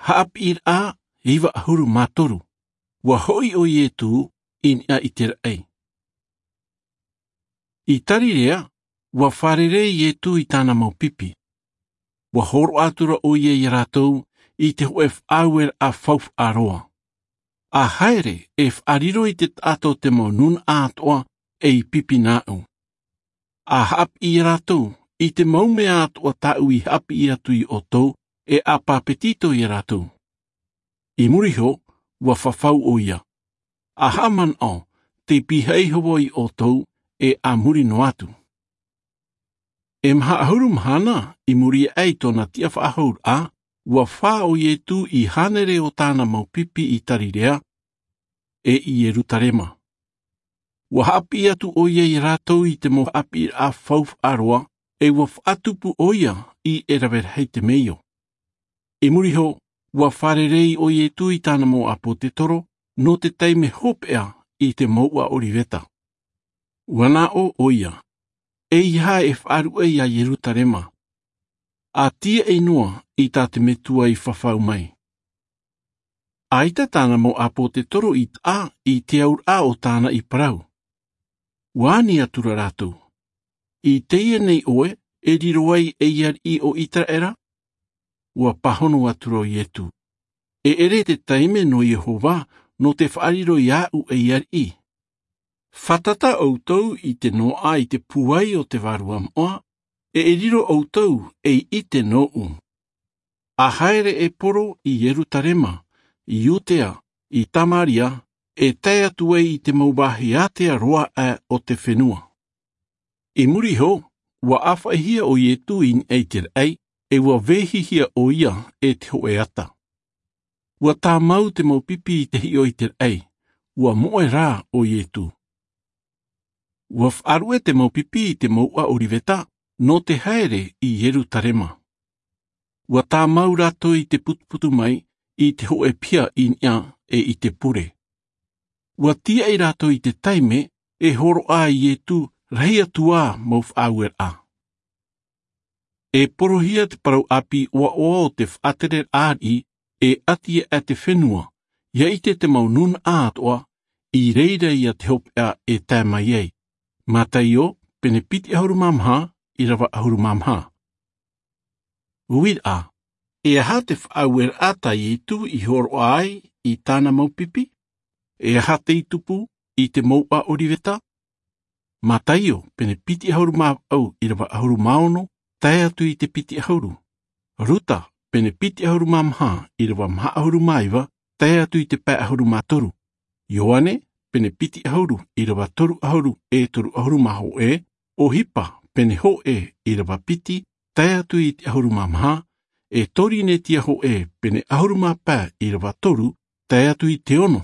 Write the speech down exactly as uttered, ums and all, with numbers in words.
Haʻapiʻiraʻa iva ʻahuru mā toru. Ua hoʻi ʻo ietū i niʻa i te raʻi. I tarirea, ua fārerei ietū i tāna mau pipi. Ua hōroʻa atu ra ʻo ia iā rātou i te hoʻe faʻaueraʻa faufaʻa roa. A haere e faʻariro i te taʻata o te mau nūnaʻa atoʻa e i pipi nāʻu. A haʻapiʻi iā rātou i te mau mea atoʻa tāʻu i haʻapiʻi atu iā ʻoutou, e a pāpetito iā rātou. I muri iho, ua fafau ʻo ia. A haʻamanaʻo, tei pīhaʻi iho vau iā ʻoutou, e a muri noa atu. E maha ʻahuru mahana i muri aʻe i tōna tiʻa faʻahou ra, ua fā ʻo ietū i hānere o tāna mau pipi i tarirea, e i ierutarema. Ua haʻapiʻi atu ʻo ia iā rātou i te mau haʻapiʻiraʻa faufaʻa roa, e ua faʻatupu ʻo ia i e rave rahi te meio. I muri iho, ua fārerei ʻo ietū i tāna mau ʻāpōtetoro nō te taime hopeʻa i te mouʻa ʻoriveta. Ua nā ʻō ʻo ia, e ia e faʻaruʻe iā ierutarema, a tiaʻi noa i tā te metua i fafau mai. ʻAita tāna mau ʻāpōtetoro i taʻa i te auraʻa o tāna i parau. Ua ani atu ra rātou, i teie nei ʻoe e riro ai ei ariʻi o iseraela? Ua pāhono atu ra ʻo ietū, e ʻere te taime nō iehova nō te faʻariro iāʻu ei ariʻi. Fātata ʻoutou i te noaʻa i te pūai o te vārua moʻa, e riro ʻoutou ei ʻite nōʻu. A haere e poro i ierutarema, i iudea, i samaria, e tae atu ai i te mau vāhi ātea roa aʻe o te fenua. I muri iho, ua ʻāfaʻihia ʻo ietū i niʻa i te raʻi, e ua vehihia ʻo ia e te hoʻe ata. Ua tāmau te mau pipi i te hiʻo i te raʻi, ua moʻe rā ʻo ietū. Ua faʻaruʻe te mau pipi i te mouʻa ʻoriveta nō te haere i ierutarema. Ua tāmau rātou i te putuputu mai i te hoʻe piha i niʻa e i te pure. Ua tiaʻi rātou i te taime e hōroʻa ai ietū rahi atu ā mau faʻaueraʻa. E porohia te parau ʻāpī ʻoaʻoa o te faʻatereraʻa ariʻi, e ʻati aʻe te fenua, ia ʻite te mau nūnaʻa atoʻa i reira ia te hopeʻa e tae mai ai. Mataio, pene piti ʻahuru mā maha, ʻirava ʻahuru mā maha. Uiraʻa, e aha te faʻaueraʻa tā ietū i hōroʻa ai i tāna mau pipi? E aha tei tupu i te mouʻa ʻoriveta? Mataio, pene piti ʻahuru mā vaʻu, ʻirava ʻahuru mā ono, tae atu i te piti ʻahuru. Ruta, pene piti ʻahuru mā maha, ʻirava maha ʻahuru mā iva, tae atu i te pae ʻahuru mā toru. Ioane, pene piti ʻahuru, ʻirava toru ʻahuru e toru ʻahuru mā hōʻē. ʻOhipa, pene hōʻē, ʻirava piti, tae atu i te ʻahuru mā maha. E Korinetia hōʻē, pene ʻahuru mā pae, ʻirava toru, tae atu i te ono,